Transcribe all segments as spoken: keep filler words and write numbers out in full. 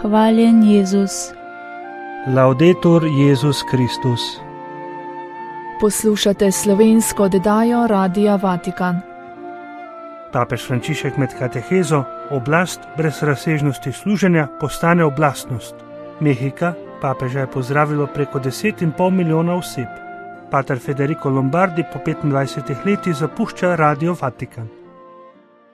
Hvaljen Jezus. Laudetur Jezus Kristus. Poslušate slovensko oddajo Radia Vatikan. Papež Frančišek med katehezo Oblast brez razsežnosti služenja postane oblastnost. Mehika papeža je pozdravilo preko deset in pol milijona oseb. Pater Federico Lombardi po petindvajsetih letih zapušča Radio Vatikan.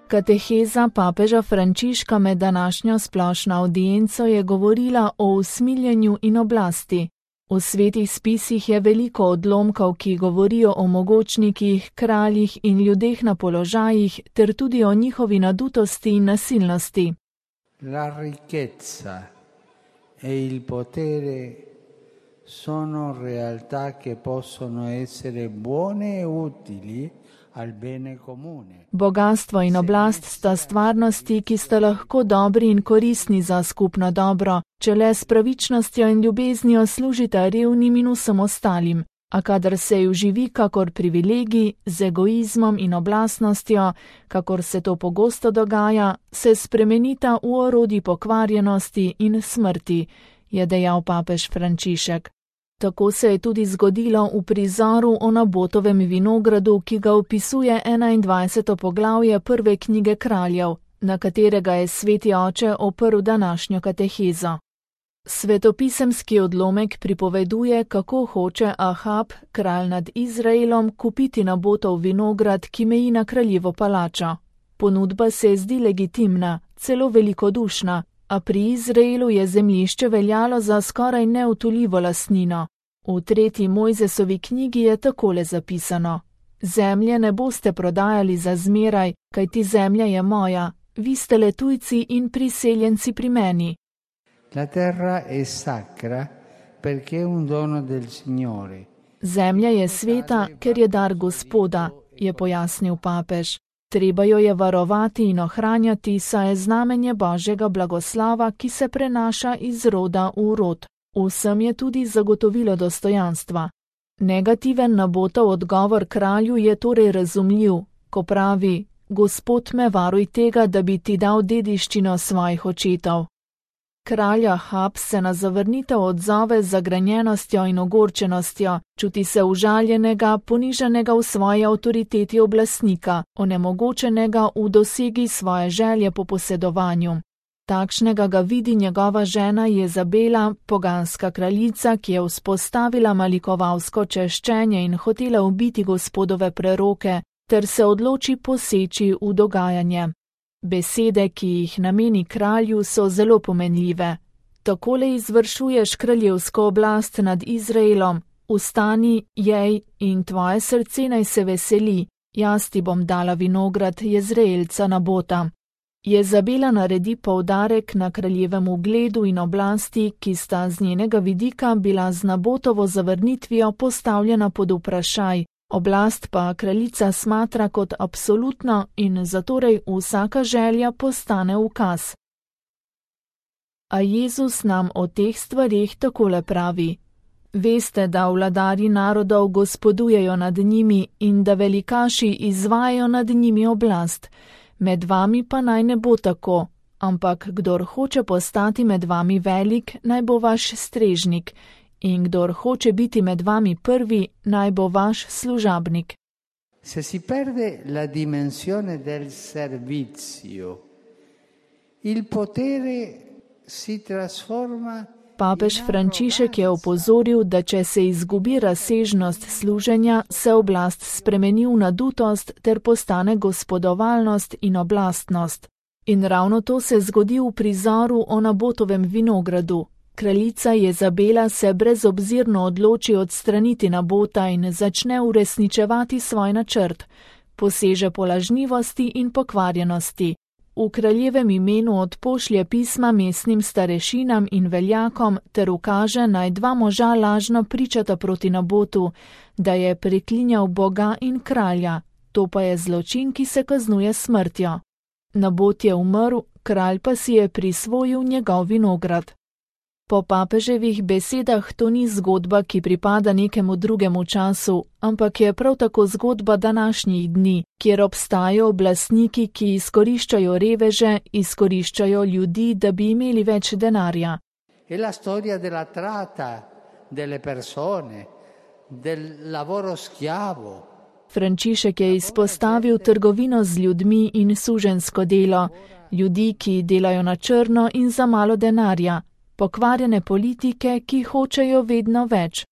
Kateheza papeža Frančiška med današnjo splošno avdienco je govorila o usmiljenju in oblasti. V svetih spisih je veliko odlomkov, ki govorijo o mogočnikih, kraljih in ljudeh na položajih, ter tudi o njihovi nadutosti in nasilnosti. La ricchezza e il potere sono realtà che possono essere buone e utili al bene comune. Bogastvo in oblast sta stvarnosti, ki sta lahko dobri in koristni za skupno dobro, če le s pravičnostjo in ljubeznijo služita revnim in vsem ostalim, a kadar se ju živi kakor privilegij, z egoizmom in oblastnostjo, kakor se to pogosto dogaja, se spremenita v orodji pokvarjenosti in smrti, je dejal papež Frančišek. Tako se je tudi zgodilo v prizoru o Nabotovem vinogradu, ki ga opisuje enaindvajseto poglavje prve knjige Kraljev, na katerega je sveti oče oprl današnjo katehezo. Svetopisemski odlomek pripoveduje, kako hoče Ahab, kralj nad Izraelom, kupiti Nabotov vinograd, ki meji na kraljevo palačo. Ponudba se zdi legitimna, celo velikodušna, a pri Izraelu je zemljišče veljalo za skoraj neutoljivo lastnino. V tretji Mojzesovi knjigi je takole zapisano: Zemlje ne boste prodajali za zmeraj, kajti zemlja je moja, vi ste le tujci in priseljenci pri meni. La terra è sacra perché è un dono del Signore. Zemlja je sveta, ker je dar Gospoda, je pojasnil papež. Treba jo je varovati in ohranjati, saj je znamenje Božjega blagoslava, ki se prenaša iz roda v rod. Vsem je tudi zagotovilo dostojanstva. Negativen Nabotov odgovor kralju je torej razumljiv, ko pravi: Gospod me varuj tega, da bi ti dal dediščino svojih očetov. Kralj Ahab se na zavrnitev odzove z zagrenjenostjo in ogorčenostjo, čuti se užaljenega, ponižanega v svoji avtoriteti oblastnika, onemogočenega v dosegi svoje želje po posedovanju. Takšnega ga vidi njegova žena Jezabela, poganska kraljica, ki je vzpostavila malikovalsko češčenje in hotela ubiti Gospodove preroke, ter se odloči poseči v dogajanje. Besede, ki jih nameni kralju, so zelo pomenljive. Takole izvršuješ kraljevsko oblast nad Izraelom: Vstani, jej, in tvoje srce naj se veseli, jaz ti bom dala vinograd Jezreelca Nabota. Jezabela naredi poudarek na kraljevem ugledu in oblasti, ki sta z njenega vidika bila z Nabotovo zavrnitvijo postavljena pod vprašaj. Oblast pa kraljica smatra kot absolutno in zatorej vsaka želja postane ukaz. A Jezus nam o teh stvareh takole pravi: Veste, da vladarji narodov gospodujejo nad njimi in da velikaši izvajajo nad njimi oblast. Med vami pa naj ne bo tako, ampak kdor hoče postati med vami velik, naj bo vaš strežnik. In kdor hoče biti med vami prvi, naj bo vaš služabnik. Se si perde la dimensione del servizio, il potere si trasforma. Papež Frančišek je opozoril, da če se izgubi razsežnost služenja, se oblast spremeni v nadutost ter postane gospodovalnost in oblastnost. In ravno to se zgodi v prizoru o Nabotovem vinogradu. Kraljica Jezabela se brezobzirno odloči odstraniti Nabota in začne uresničevati svoj načrt. Poseže po lažnivosti in pokvarjenosti. V kraljevem imenu odpošlje pisma mestnim starešinam in veljakom ter ukaže, naj dva moža lažno pričata proti Nabotu, da je preklinjal Boga in kralja. To pa je zločin, ki se kaznuje smrtjo. Nabot je umrl, kralj pa si je prisvojil njegov vinograd. Po papeževih besedah to ni zgodba, ki pripada nekemu drugemu času, ampak je prav tako zgodba današnjih dni, kjer obstajajo oblastniki, ki izkoriščajo reveže, izkoriščajo ljudi, da bi imeli več denarja. È la storia della tratta delle persone, del lavoro schiavo. Frančišek je izpostavil trgovino z ljudmi in suženjsko delo, ljudi, ki delajo na črno in za malo denarja, pokvarjene politike, ki hočejo vedno več.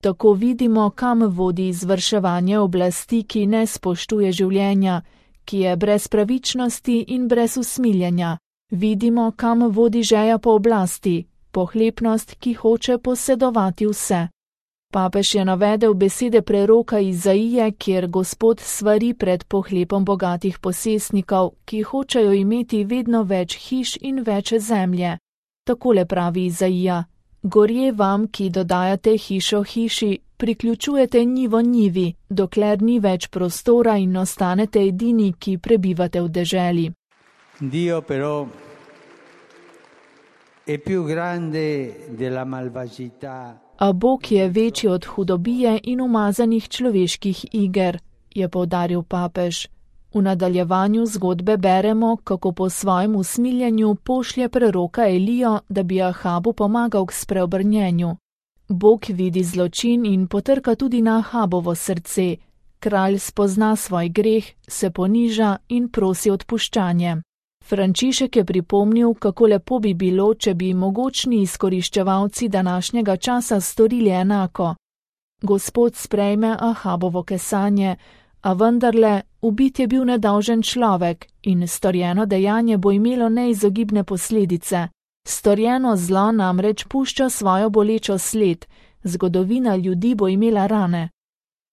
Tako vidimo, kam vodi izvrševanje oblasti, ki ne spoštuje življenja, ki je brez pravičnosti in brez usmiljenja. Vidimo, kam vodi žeja po oblasti, pohlepnost, ki hoče posedovati vse. Papež je navedel besede preroka Izaije, kjer Gospod svari pred pohlepom bogatih posestnikov, ki hočejo imeti vedno več hiš in več zemlje. Takole pravi Izaija: Gorje vam, ki dodajate hišo hiši, priključujete njivo njivi, dokler ni več prostora in ostanete edini, ki prebivate v deželi. Dio però è più grande della malvagità. A Bog je večji od hudobije in umazanih človeških iger, je poudaril papež. V nadaljevanju zgodbe beremo, kako po svojem usmiljenju pošlje preroka Elijo, da bi Ahabu pomagal k spreobrnjenju. Bog vidi zločin in potrka tudi na Ahabovo srce. Kralj spozna svoj greh, se poniža in prosi odpuščanje. Frančišek je pripomnil, kako lepo bi bilo, če bi mogočni izkoriščevalci današnjega časa storili enako. Gospod sprejme Ahabovo kesanje, a vendarle, ubit je bil nedolžen človek in storjeno dejanje bo imelo neizogibne posledice. Storjeno zlo namreč pušča svojo bolečo sled, zgodovina ljudi bo imela rane.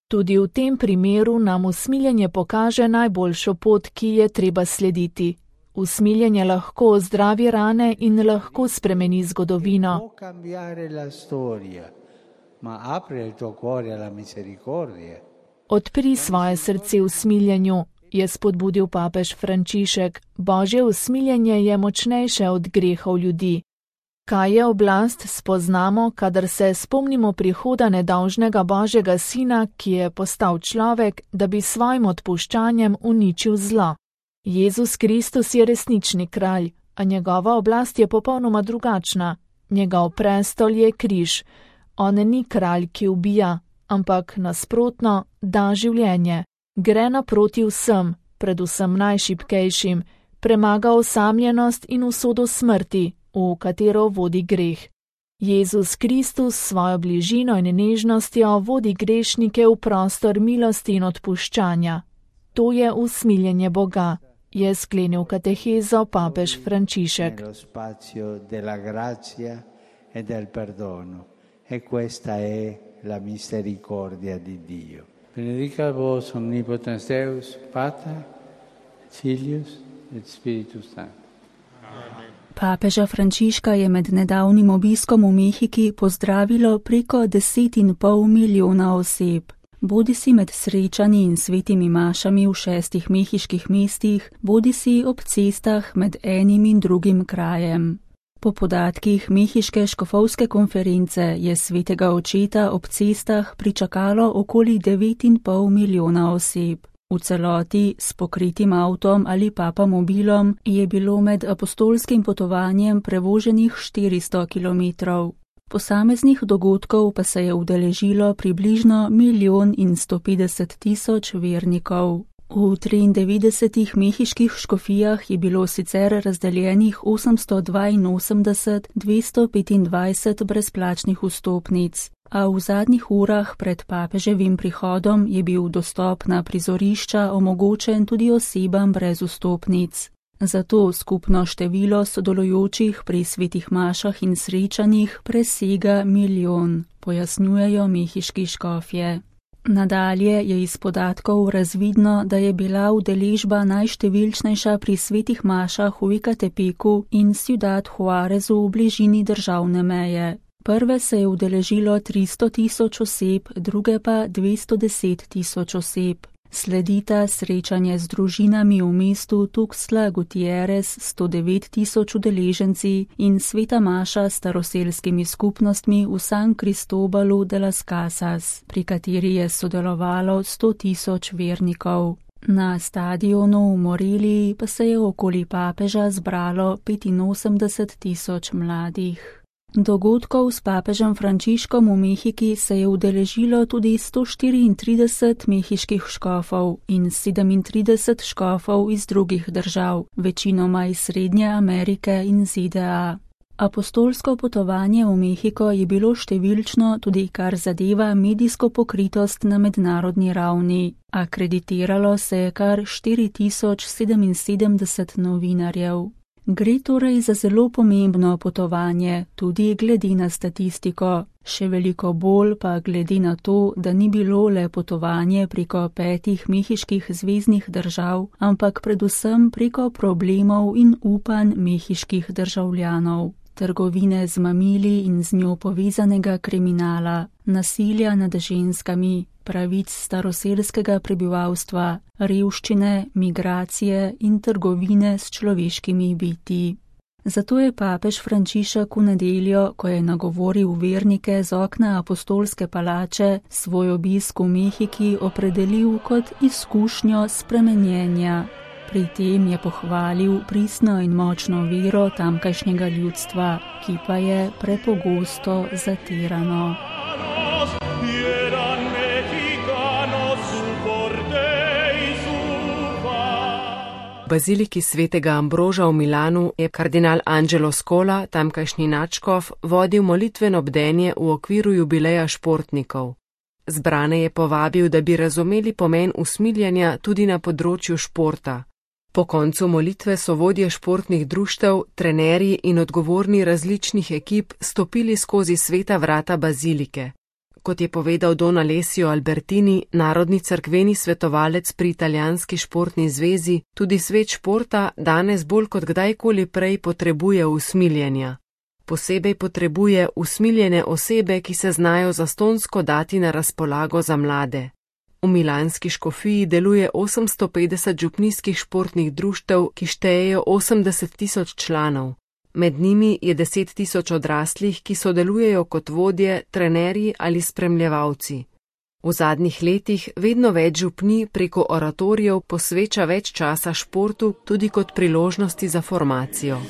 Tudi v tem primeru nam usmiljenje pokaže najboljšo pot, ki je treba slediti. Usmiljenje lahko ozdravi rane in lahko spremeni zgodovino. Odpri svoje srce usmiljenju, je spodbudil papež Frančišek. Božje usmiljenje je močnejše od grehov ljudi. Kaj je oblast, spoznamo, kadar se spomnimo prihoda nedolžnega Božjega sina, ki je postal človek, da bi svojim odpuščanjem uničil zlo. Jezus Kristus je resnični kralj, a njegova oblast je popolnoma drugačna. Njegov prestol je križ. On ni kralj, ki ubija, ampak nasprotno da življenje. Gre naproti vsem, predvsem najšibkejšim, premaga osamljenost in usodo smrti, v katero vodi greh. Jezus Kristus s svojo bližino in nežnostjo vodi grešnike v prostor milosti in odpuščanja. To je usmiljenje Boga, je sklenil katehezo papež Frančišek. E questa è la misericordia di Dio. Benedicat vos omnipotens Deus, Pater, Filius et Spiritus Sanctus. Papeža Frančiška je med nedavnim obiskom v Mehiki pozdravilo preko deset in pol milijona oseb. Bodisi med srečanji in svetimi mašami v šestih mehiških mestih, bodisi ob cestah med enim in drugim krajem. Po podatkih Mehiške škofovske konference je svetega očeta ob cestah pričakalo okoli devet in pol milijona oseb. V celoti s pokritim avtom ali papamobilom je bilo med apostolskim potovanjem prevoženih štiristo kilometrov. Posameznih dogodkov pa se je udeležilo približno milijon in sto petdeset tisoč vernikov. V triindevetdesetih mehiških škofijah je bilo sicer razdeljenih osemsto dvainosemdeset tisoč dvesto petindvajset brezplačnih vstopnic, a v zadnjih urah pred papeževim prihodom je bil dostop na prizorišča omogočen tudi osebam brez vstopnic. Zato skupno število sodelujočih pri svetih mašah in srečanjih presega milijon, pojasnjujejo mehiški škofje. Nadalje je iz podatkov razvidno, da je bila udeležba najštevilčnejša pri svetih mašah v Ekatepeku in Ciudad Juarezu v bližini državne meje. Prve se je udeležilo tristo tisoč oseb, druge pa dvesto deset tisoč oseb. Sledita srečanje z družinami v mestu Tuxtla Gutiérrez s sto devet tisoč udeleženci in sveta maša s staroselskimi skupnostmi v San Cristobalu de las Casas, pri kateri je sodelovalo sto tisoč vernikov. Na stadionu v Moreliji pa se je okoli papeža zbralo petinosemdeset tisoč mladih. Dogodkov s papežem Frančiškom v Mehiki se je udeležilo tudi sto štiriintrideset mehiških škofov in sedemintrideset škofov iz drugih držav, večinoma iz Srednje Amerike in Z D A. Apostolsko potovanje v Mehiko je bilo številčno tudi kar zadeva medijsko pokritost na mednarodni ravni. Akreditiralo se je kar štiri tisoč sedeminsedemdeset novinarjev. Gre torej za zelo pomembno potovanje, tudi glede na statistiko, še veliko bolj pa glede na to, da ni bilo le potovanje preko petih mehiških zveznih držav, ampak predvsem preko problemov in upanj mehiških državljanov, trgovine z mamili in z njo povezanega kriminala, nasilja nad ženskami, pravic staroselskega prebivalstva, revščine, migracije in trgovine s človeškimi bitji. Zato je papež Frančišek v nedeljo, ko je nagovoril vernike z okna apostolske palače, svoj obisk v Mehiki opredelil kot izkušnjo spremenjenja. Pri tem je pohvalil pristno in močno vero tamkajšnjega ljudstva, ki pa je prepogosto zatirano. V baziliki svetega Ambroža v Milanu je kardinal Angelo Scola, tamkajšnji nadškof, vodil molitveno bdenje v okviru jubileja športnikov. Zbrane je povabil, da bi razumeli pomen usmiljenja tudi na področju športa. Po koncu molitve so vodje športnih društev, trenerji in odgovorni različnih ekip stopili skozi sveta vrata bazilike. Kot je povedal Don Alessio Albertini, narodni cerkveni svetovalec pri Italijanski športni zvezi, tudi svet športa danes bolj kot kdajkoli prej potrebuje usmiljenja. Posebej potrebuje usmiljene osebe, ki se znajo zastonjsko dati na razpolago za mlade. V milanski škofiji deluje osemsto petdeset župnijskih športnih društev, ki štejejo osemdeset tisoč članov. Med njimi je deset tisoč odraslih, ki sodelujejo kot vodje, trenerji ali spremljevalci. V zadnjih letih vedno več župnij preko oratorijev posveča več časa športu tudi kot priložnosti za formacijo.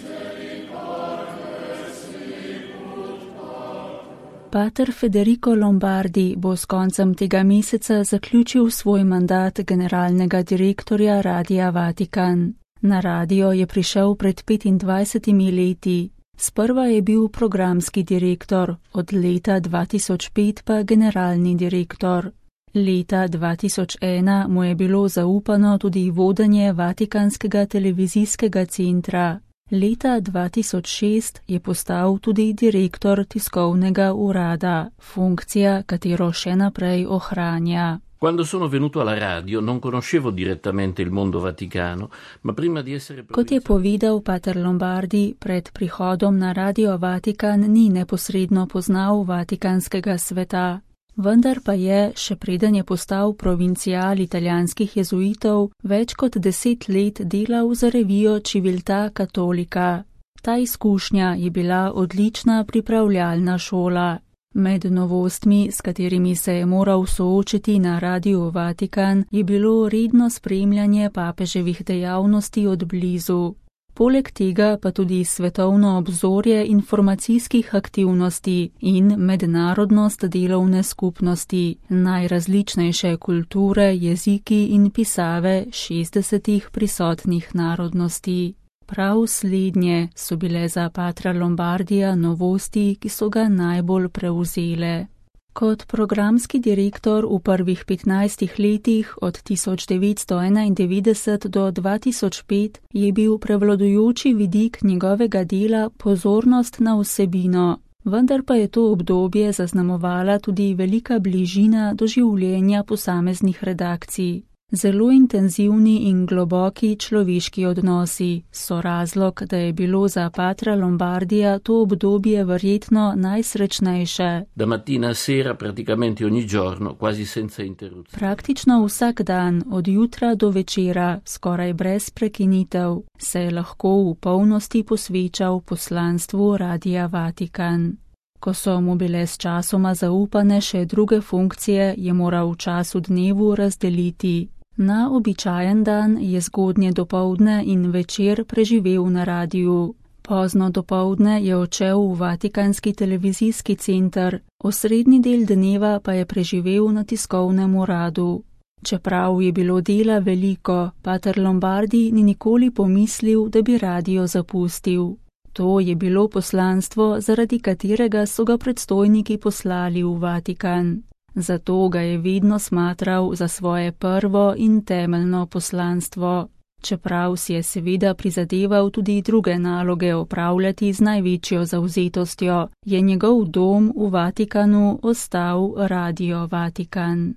Pater Federico Lombardi bo s koncem tega meseca zaključil svoj mandat generalnega direktorja Radia Vatikan. Na radio je prišel pred petindvajsetimi leti. Sprva je bil programski direktor, od leta dva tisoč pet pa generalni direktor. Leta dva tisoč ena mu je bilo zaupano tudi vodenje Vatikanskega televizijskega centra. Leta dva tisoč šest je postal tudi direktor tiskovnega urada, funkcija, katero še naprej ohranja. Quando sono venuto alla radio non conoscevo direttamente il mondo vaticano, ma prima di essere... Kot je povedal pater Lombardi, pred prihodom na Radio Vatikan ni neposredno poznal vatikanskega sveta. Vendar pa je, še preden je postal provincijal italijanskih jezuitov, več kot deset let delal za revijo Civiltà Cattolica. Ta izkušnja je bila odlična pripravljalna šola. Med novostmi, s katerimi se je moral soočiti na Radiu Vatikan, je bilo redno spremljanje papeževih dejavnosti od blizu. Poleg tega pa tudi svetovno obzorje informacijskih aktivnosti in mednarodnost delovne skupnosti, najrazličnejše kulture, jeziki in pisave šestdesetih prisotnih narodnosti. Prav slednje so bile za patra Lombardija novosti, ki so ga najbolj prevzele. Kot programski direktor v prvih petnajstih letih od tisoč devetsto enaindevetdeset do dva tisoč pet je bil prevladujoči vidik njegovega dela pozornost na vsebino, vendar pa je to obdobje zaznamovala tudi velika bližina do življenja posameznih redakcij. Zelo intenzivni in globoki človeški odnosi so razlog, da je bilo za patra Lombardija to obdobje verjetno najsrečnejše. Da mattina a sera praticamente ogni giorno, quasi senza interruzione. Praktično vsak dan, od jutra do večera, skoraj brez prekinitev, se je lahko v polnosti posvečal poslanstvu Radia Vatikan. Ko so mu bile s časoma zaupane še druge funkcije, je moral v času dnevu razdeliti. Na običajen dan je zgodnje dopoldne in večer preživel na radiju. Pozno dopoldne je odšel v Vatikanski televizijski center, osrednji del dneva pa je preživel na tiskovnem uradu. Čeprav je bilo dela veliko, pater Lombardi ni nikoli pomislil, da bi radio zapustil. To je bilo poslanstvo, zaradi katerega so ga predstojniki poslali v Vatikan. Zato ga je vedno smatral za svoje prvo in temeljno poslanstvo. Čeprav si je seveda prizadeval tudi druge naloge opravljati z največjo zavzetostjo, je njegov dom v Vatikanu ostal Radio Vatikan.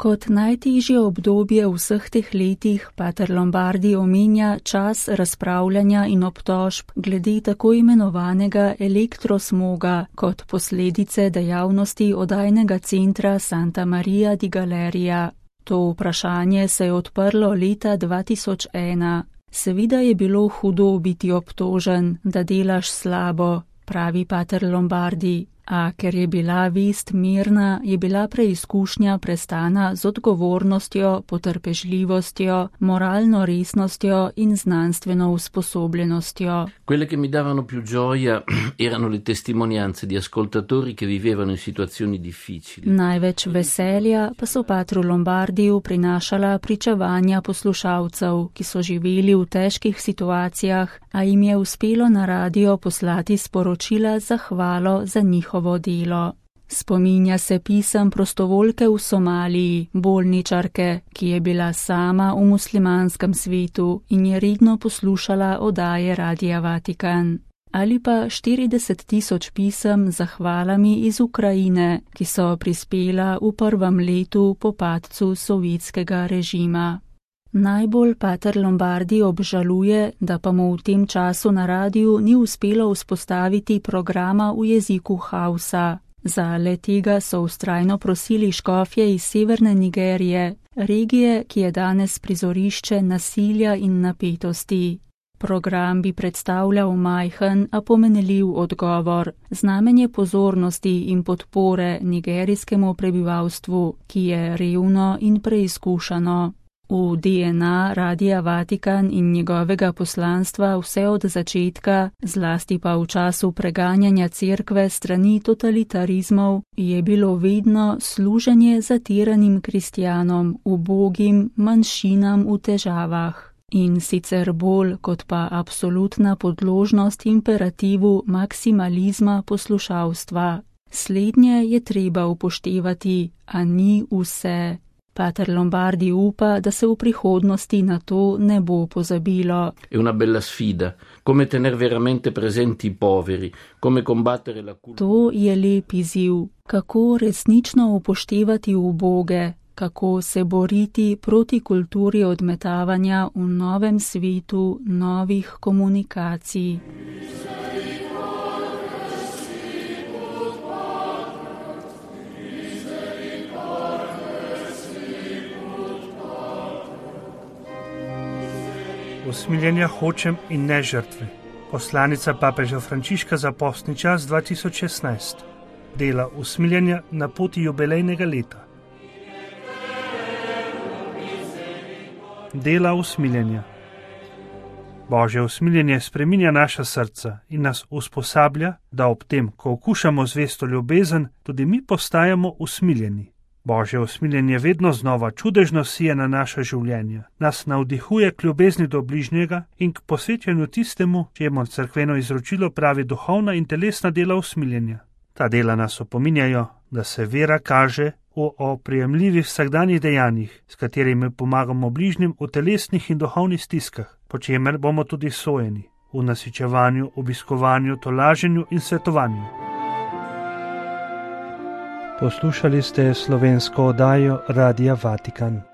Kot najtežje obdobje vseh teh letih pater Lombardi omenja čas razpravljanja in obtožb glede tako imenovanega elektrosmoga kot posledice dejavnosti oddajnega centra Santa Maria di Galeria. To vprašanje se je odprlo leta dva tisoč ena. Seveda je bilo hudo biti obtožen, da delaš slabo, pravi pater Lombardi. A ker je bila vest mirna, je bila preizkušnja prestana z odgovornostjo, potrpežljivostjo, moralno resnostjo in znanstveno usposobljenostjo. Quelle che mi davano più gioia erano le testimonianze di ascoltatori che vivevano in situazioni difficili. Največ veselja pa so patru Lombardiju prinašala pričevanja poslušalcev, ki so živeli v težkih situacijah, a jim je uspelo na radio poslati sporočila za hvalo za njihovo delo. Spominja se pisem prostovoljke v Somaliji, bolničarke, ki je bila sama v muslimanskem svetu in je redno poslušala oddaje Radia Vatikan. Ali pa štirideset tisoč pisem z zahvalami iz Ukrajine, ki so prispela v prvem letu po padcu sovjetskega režima. Najbolj pater Lombardi obžaluje, da pa mu v tem času na radiju ni uspelo vzpostaviti programa v jeziku Hausa. Za le tega so vztrajno prosili škofje iz severne Nigerije, regije, ki je danes prizorišče nasilja in napetosti. Program bi predstavljal majhen, a pomenljiv odgovor, znamenje pozornosti in podpore nigerijskemu prebivalstvu, ki je revno in preizkušano. V D N A Radia Vatikan in njegovega poslanstva vse od začetka, zlasti pa v času preganjanja cerkve strani totalitarizmov, je bilo vedno služenje zatiranim kristjanom, ubogim, manjšinam v težavah. In sicer bolj kot pa absolutna podložnost imperativu maksimalizma poslušalstva. Slednje je treba upoštevati, a ni vse. Pater Lombardi upa, da se v prihodnosti na to ne bo pozabilo. È una bella sfida, come tener veramente presenti i poveri, come combattere la cultura. To je lep izziv, kako resnično upoštevati uboge, kako se boriti proti kulturi odmetavanja v novem svetu novih komunikacij. Usmiljenja hočem in ne žrtve. Poslanica papeža Frančiška za postni čas dva tisoč šestnajst. Dela usmiljenja na poti jubilejnega leta. Dela usmiljenja. Božje usmiljenje spreminja naša srca in nas usposablja, da ob tem, ko okušamo zvesto ljubezen, tudi mi postajamo usmiljeni. Božje usmiljenje vedno znova čudežno sije na naša življenja, nas navdihuje k ljubezni do bližnjega in k posvečanju tistemu, čemu cerkveno izročilo pravi duhovna in telesna dela usmiljenja. Ta dela nas opominjajo, da se vera kaže v oprijemljivih vsakdanjih dejanjih, s katerimi pomagamo bližnjim v telesnih in duhovnih stiskah, po čemer bomo tudi sojeni, v nasičevanju, obiskovanju, tolaženju in svetovanju. Poslušali ste slovensko oddajo Radia Vatikan.